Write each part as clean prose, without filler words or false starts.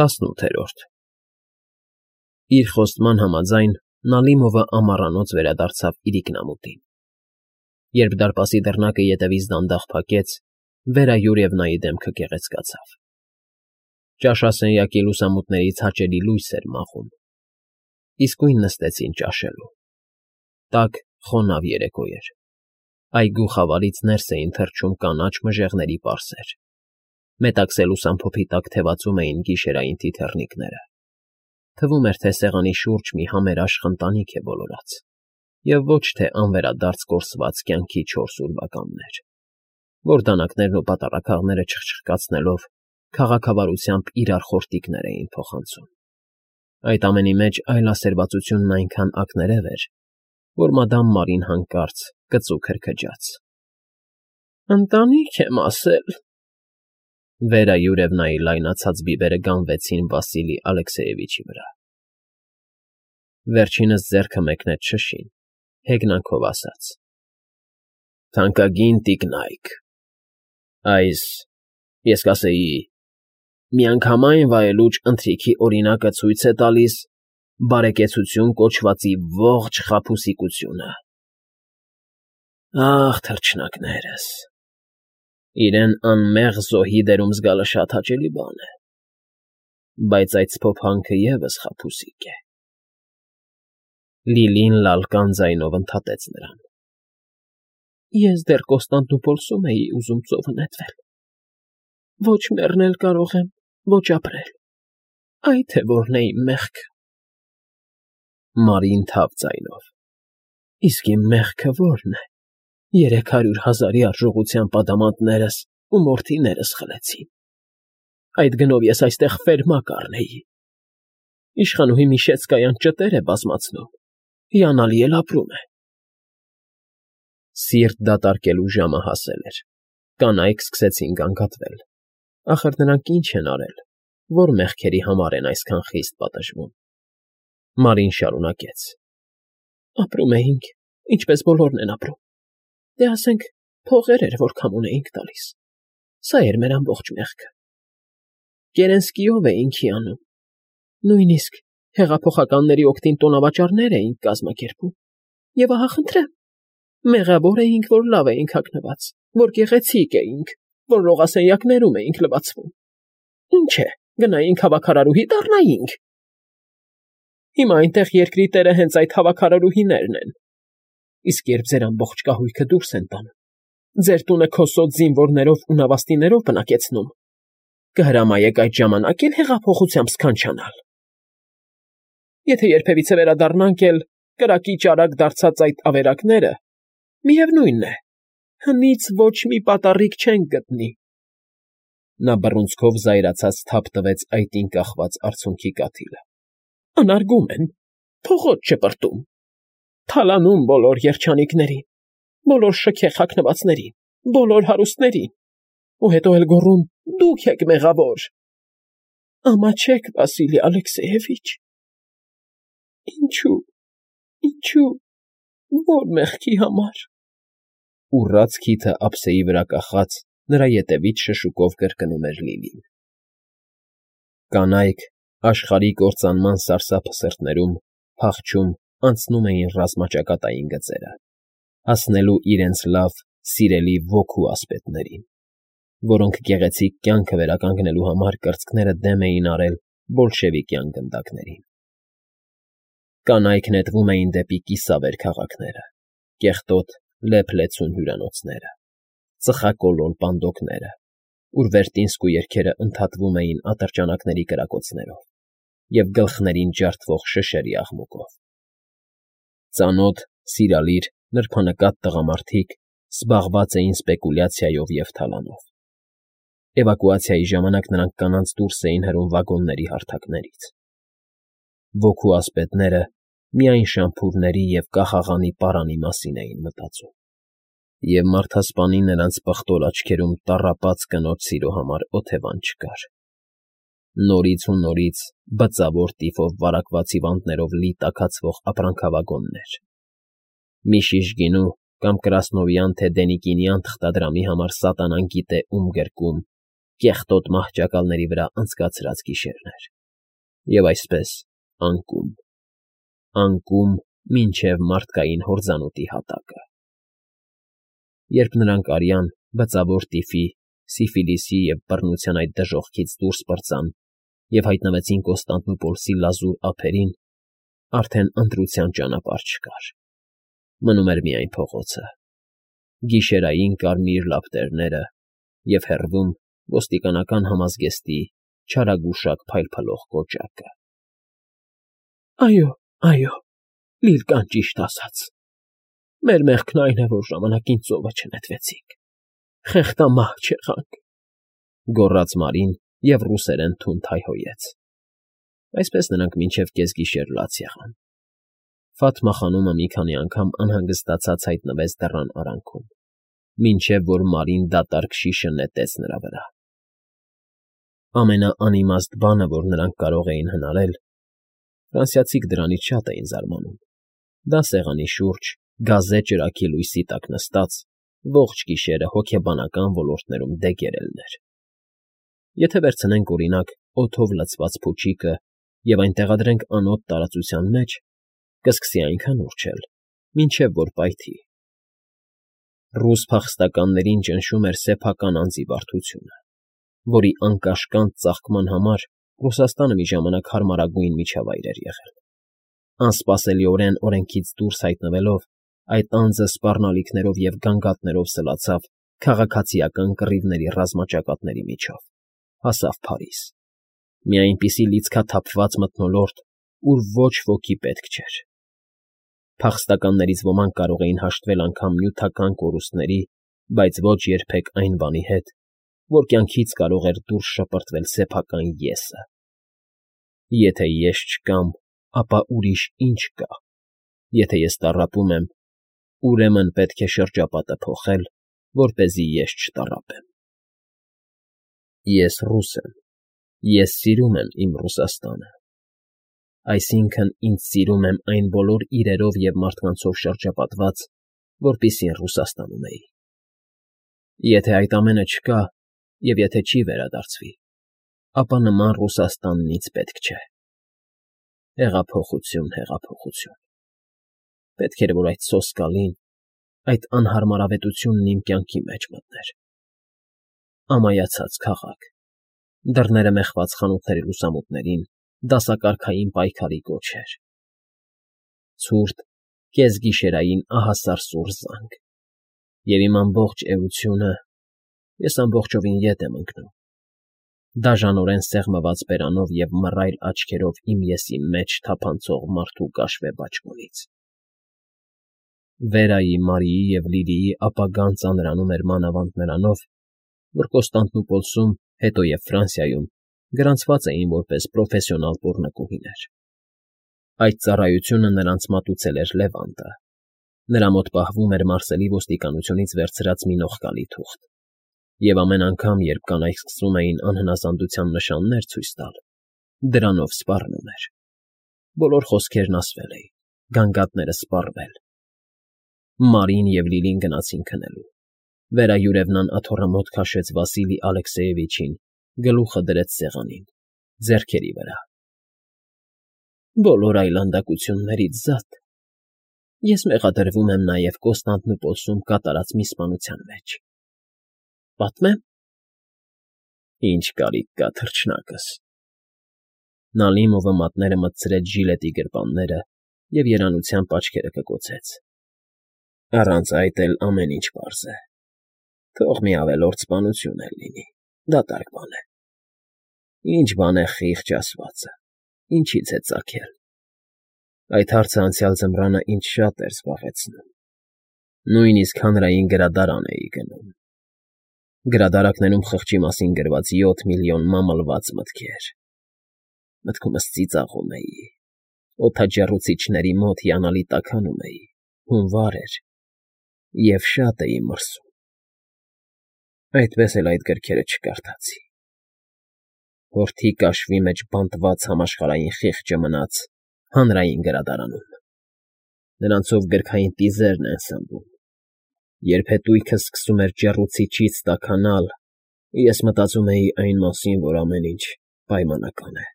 18 Իր խոստման համաձայն Նալիմովը ամառանոց վերադարձավ իր ինքնամուտին։ Երբ դարպասի դռնակը ետևից դանդաղ փակեց, Վերայուրևնայի դեմքը գեղեցկացավ։ Ճաշասենյակի լուսամուտներից հաճելի լույս էր մաղում։ Իսկույն նստեցին ճաշելու։ Տաք, խոնավ երեկո էր։ Այգու խավարից ներս էին թռչում կանաչ մժեղների պարսեր։ Մետաքսե լուսամփոփի տակ թևածում էին գիշերային թիթեռնիկները։ Թվում էր, թե սեղանի շուրջ մի համերաշխ ընտանիք է բոլորած, և ոչ թե անվերադարձ կորսված կյանքի չորս ուրվականներ, որ դանակներն ու պատառաքաղները չխչխկացնելով քաղաքավարությամբ իրար խորտիկներ էին փոխանցում։ Այդ ամենի մեջ այլասերվածությունն այնքան ակներև էր, որ մադամ Մարին հանկարծ կծու քրքջաց։ «Ընտանիք եմ ասել»։ Վերայուրևնայի լայնացած բիբերը գանվեցին Վասիլի Ալեքսեևիչի վրա։ Վերջինս ձեռքը մեկնեց շշին, հեգնանքով ասաց. «Թանկագին տիկնայք, այս, ես կասեի, միանգամայն վայելուչ ընթրիքի օրինակը ցույց է տալիս բարեկեցություն կոչվածի ողջ խաբուսիկությունը։ Ախ, թռչնակներս, իրեն անմեղ զոհի դերում զգալը շատ հաճելի բան է, բայց այդ սփոփանքը ևս խաբուսիկ է»։ Լիլին լալկան ձայնով ընդհատեց նրան։ «Ես դեռ Կոստանդնուպոլսում էի ուզում ծովը նետվել։ Ոչ մեռնել կարող եմ, ոչ ապրել, այ թե որն է իմ մեղքը»։ Մարին թավ ձայնով. «Իսկ իմ մեղքը որն է։ 300,000-ի արժողությամբ ադամանդներս ու մորթիներս խլեցին։ Այդ գնով ես այստեղ ֆերմա կառնեի։ Իշխանուհի Միշեցկայան ճտեր է բազմացնում, հիանալի էլ ապրում է»։ Սիրտ դատարկելու ժամը հասել էր։ Կանայք սկսեցին գանգատվել։ Ախր նրանք ինչ են արել, որ մեղքերի համար են այսքան խիստ պատժվում։ Մարին շարունակեց. «Ապրում էինք, ինչպես բոլորն են ապրում։ Դե ասենք, փողեր էր, որ քամուն էինք տալիս։ Սա էր մեր ամբողջ մեղքը։ Կերենսկիով էինք հիանում։ Նույնիսկ հեղափոխականների օգտին տոնավաճառներ էինք կազմակերպում։ Եվ ահա խնդրեմ, մեղավոր էինք, որ լավ էինք հագնված, որ գեղեցիկ էինք, որ լողասենյակներում էինք լվացվում։ Ինչ է, գնայինք հավաքարարուհի դառնայինք։ Հիմա այնտեղ երկրի տերը հենց այդ հավաքարարուհիներն են։ Իսկ երբ ձեր ամբողջ կահույքը դուրս են տանում, ձեր տունը քոսոտ զինվորներով ու նավաստիներով բնակեցնում, կհրամայեք այդ ժամանակ էլ հեղափոխությամբ սքանչանալ։ Եթե երբևիցե վերադառնանք էլ կրակի ճարակ դարձած այդ ավերակները, միևնույն է, հնից ոչ մի պատառիկ չենք գտնի»։ Նա բռունցքով զայրացած թափ տվեց այտին կախված արցունքի կաթիլը։ «Անարգում են, փողոց չպրտում, թալանում բոլոր երջանիկներին, բոլոր շքեղ հագնվածներին, բոլոր հարուստներին, ու հետո էլ գոռում. դուք եք մեղավոր։ Ամաչեք, Վասիլի Ալեքսեևիչ։ Ինչու, որ մեղքի համար»։ Ուռած քիթը ափսեի վրա կախած նրա ետևից շշուկով կրկնում էր Լիլին։ Կանայք աշխարհի կործանման սարսափը սրտներում փախչում անցնում էին ռազմաճակատային գծերը, հասնելու իրենց լավ, սիրելի ոգու ասպետներին, որոնք գեղեցիկ կյանքը վերականգնելու համար կրծքները դեմ էին արել բոլշևիկյան գնդակներին։ Կանայք նետվում էին դեպի կիսավեր քաղաքները, կեղտոտ լեփ-լեցուն հյուրանոցները, ծխակոլոր պանդոկները, ուր վերտինսկու երգերը ընդհատվում էին ատրճանակների կրակոցներով և գլխներին ջարդվող շշերի աղմուկով։ Ծանոթ, սիրալիր, նրբանկատ տղամարդիկ զբաղված էին սպեկուլյացիայով և թալանով։ Էվակուացիայի ժամանակ նրանք կանանց դուրս էին հրում վագոնների հարթակներից։ Ոգու ասպետները միայն շամփուրների և կախաղանի պարանի մասին էին մտածում, և մարդասպանի նրանց պղտոր աչքերում տառապած կնոջ սիրո համար օթևան չկար։ Նորից ու նորից բծավոր տիֆով վարակված հիվանդներով լի տաքացվող ապրանքավագոններ, մի շիշ գինու կամ կրասնովյան թե դենիկինյան թղթադրամի համար սատանան գիտե ում գրկում, կեղտոտ մահճակալների վրա անցկացրած գիշերներ, և այսպես անկում մինչև մարդկային հորձանուտի հատակը։ Երբ նրանք արյան, բծավոր տիֆի, սիֆիլիսի և բռնության այդ դժոխքից դուրս պրծան և հայտնվեցին Կոստանդնուպոլսի լազուր ափերին, արդեն ընտրության ճանապարհ չկար. մնում էր միայն փողոցը, գիշերային կարմիր լապտերները և հեռվում ոստիկանական համազգեստի չարագուշակ փայլփլող կոճակը։ Այո, Լիլկան ճիշտ ասաց. մեր մեղքն այն է, որ ժամանակին ծովը չնետվեցինք, խեղդամահ չեղանք, գոռաց Մարին և ռուսերեն թունդ հայհոյեց։ Այսպես նրանք մինչև կեսգիշեր լաց եղան։ Ֆաթմա խանումը մի քանի անգամ անհանգստացած հայտնվեց դռան արանքում, մինչև որ Մարին դատարկ շիշը նետեց նրա վրա։ Ամենաանիմաստ բանը, որ նրանք կարող էին հնարել, ֆրանսիացիք դրանից շատ էին զարմանում, դա սեղանի շուրջ, գազե ճրագի լույսի տակ նստած, ողջ գիշերը հոգեբանական ոլորտներում դեգերելն էր։ Եթե վերցնենք, օրինակ, օդով լցված փուչիկը և այն տեղադրենք անոտ տարածության մեջ, կսկսի այնքան ուռչել, մինչև որ պայթի։ Ռուս փախստականներին ճնշում էր սեփական անձի բարդությունը, որի անկաշկանդ ծաղկման համար Ռուսաստանը մի ժամանակ հարմարագույն միջավայր էր եղել։ Անսպասելիորեն օրենքից դուրս հայտնվելով, այդ անձը սպառնալիքներով և գանգատներով սլացավ քաղաքացիական կռիվների ռազմաճակատների միջով, հասավ Փարիզ, մի այնպիսի լիցքաթափված մթնոլորտ, ուր ոչ ոքի պետք չէր։ Փախստականներից ոմանք կարող էին հաշտվել անգամ նյութական կորուստների, բայց ոչ երբեք այն բանի հետ, որ կյանքից կարող էր դուրս շպրտվել սեփական ես֊ը։ Եթե ես չկամ, ապա ուրիշ ինչ կա։ Եթե ես տառապում եմ, ուրեմն պետք է շրջապատը փոխել, որպեսզի ես չտառապեմ։ Ես ռուս եմ, ես սիրում եմ իմ Ռուսաստանը, այսինքն ինձ սիրում եմ այն բոլոր իրերով և մարդկանցով շրջապատված, որպիսին Ռուսաստանում էի։ Եթե այդ ամենը չկա, և եթե չի վերադարձվի, ապա նման Ռուսաստանն ինձ պետք չէ։ Հեղափոխություն։ Պետք էր, որ այդ սոսկալին, այդ անհարմարավետությունն իմ կյանքի մեջ մտներ։ Ամայացած քաղաք, դռները մեխված խանութների լուսամուտներին դասակարգային պայքարի կոչեր, ցուրտ, կեսգիշերային ահասար սուր զանգ, և իմ ամբողջ էությունը, ես ամբողջովին ետ եմ ընկնում, դաժանորեն սեղմված բերանով և մռայլ աչքերով իմ եսի մեջ թափանցող մարդու կաշվե բաճկոնից։ Վերայի, Մարիի և Լիլիի ապագան ծանրանում էր մանավանդ նրանով, որ Կոստանդնուպոլսում, հետո և Ֆրանսիայում գրանցված էին որպես պրոֆեսիոնալ պոռնկուհիներ։ Այդ ծառայությունը նրանց մատուցել էր Լևանտը։ Նրա մոտ պահվում էր Մարսելի ոստիկանությունից վերցրած մի նողկալի թուղթ, և ամեն անգամ, երբ կանայք սկսում էին անհնազանդության նշաններ ցույց տալ, դրանով սպառնում էր։ Բոլոր խոսքերն ասվել էին, գանգատները սպառվել։ Մարին և Լիլին գնացին քնելու։ Վերահյուրևնան աթոռը մոտ քաշեց Վասիլի Ալեքսեևիչին, գլուխը դրեց սեղանին, ձեռքերի վրա։ Բոլոր այլանդակություններից զատ, ես մեղադրվում եմ նաև Կոստանդնուպոլսում կատարած մի սպանության մեջ։ Պատմե՞մ։ Ինչ կարիք կա, թռչնակս։ Նալիմովը մատները մտցրեց ժիլետի գրպանները և երանությամբ աչքերը կկոցեց։ Առանց այդ էլ ամեն ինչ պարզ է։ Թող մի ավելորդ սպանություն էլ լինի, դատարկ բան է։ Ինչ բան է խիղճ ասվածը, ինչից է ծագել։ Այդ հարցը անցյալ ձմռանը ինձ շատ էր զբաղեցնում։ Նույնիսկ հանրային գրադարան էի գնում։ Գրադարաններում խղճի մասին գրված 7 միլիոն մամլված մտքեր։ Մտքումս ծիծաղում էի, օդաչեռուցիչների մոտ հիանալի տաքանում էի, հունվար էր, և շատ էի մրսում։ Այդպես էլ այդ գրքերը չկարդացի։ Հորթի կաշվի մեջ բանտված համաշխարհային խիղճը մնաց հանրային գրադարանում։ Նրանցով գրքային տիզերն են սնվում։ Երբ հետույքս սկսում էր ջեռուցիչից տաքանալ, Ես մտածում էի այն մասին, որ ամեն ինչ պայմանական է։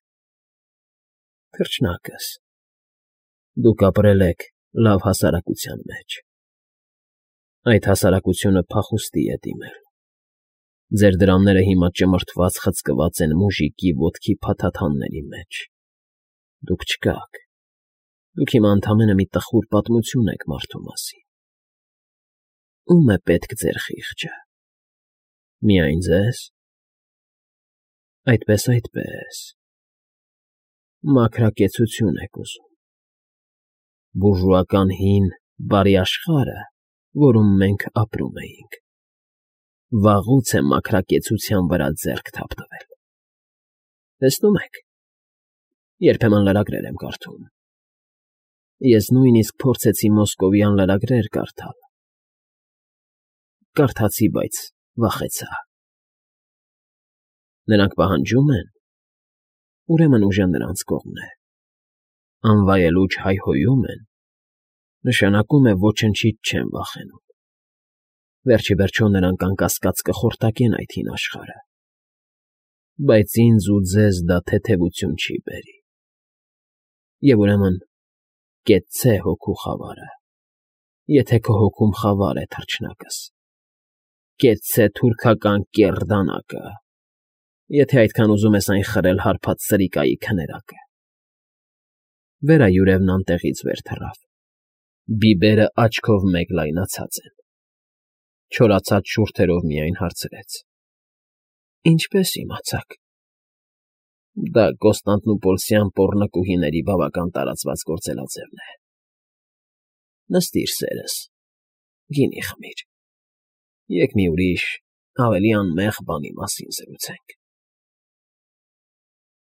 Թռչնակս, դուք ապրել եք լավ հասարակության մեջ։ Այդ հասարակությունը փախուստի է դիմել։ Ձեր դրամները հիմա ճմրթված խցկված են մուժիկի ոտքի փաթաթանների մեջ։ Դուք չկաք։ Դուք հիմա ընդամենը մի տխուր պատմություն եք մարդու մասին։ Ո՞ւմ է պետք ձեր խիղճը։ Միայն ձե՞զ։ Այդպես։ Մաքրակեցություն եք ուզում։ Բուրժուական հին, բարի աշխարհը, որում մենք ապրում էինք, վաղուց է մաքրակեցության վրա ձեռք թափտվել։ Տեսնում եք, երբեմն լրագրեր եմ կարդում։ Ես նույնիսկ փորձեցի մոսկովյան լրագրեր կարդալ։ Կարդացի, բայց վախեցա։ Նրանք պահանջում են, ուրեմն ուժը նրանց կողմն է։ Անվայելուչ հայհոյում են, նշանակում է ոչնչից չեն վախենում։ Վերջիվերջո նրանք անկասկած կխորտակեն այդ հին աշխարհը։ Բայց ինձ ու ձեզ դա թեթևություն չի բերի։ Եվ ուրեմն կեցցե հոգու խավարը, եթե քո հոգում խավար է, թռչնակս։ Կեցցե թուրքական կեռ դանակը, եթե այդքան ուզում ես այն խրել հարբած սրիկայի քներակը։ Վերայուրևն անտեղից վեր թռավ։ Բիբերը աչքով մեկ լայնացած են։ Չորացած շուրթերով միայն հարցրեց. Ինչպե՞ս իմացաք։ Դա Կոստանդնուպոլսյան պոռնկուհիների բավական տարածված գործելաձևն է։ Նստիր, սերս, գինի խմիր։ Եկ մի ուրիշ, ավելի անմեղ բանի մասին զրուցենք։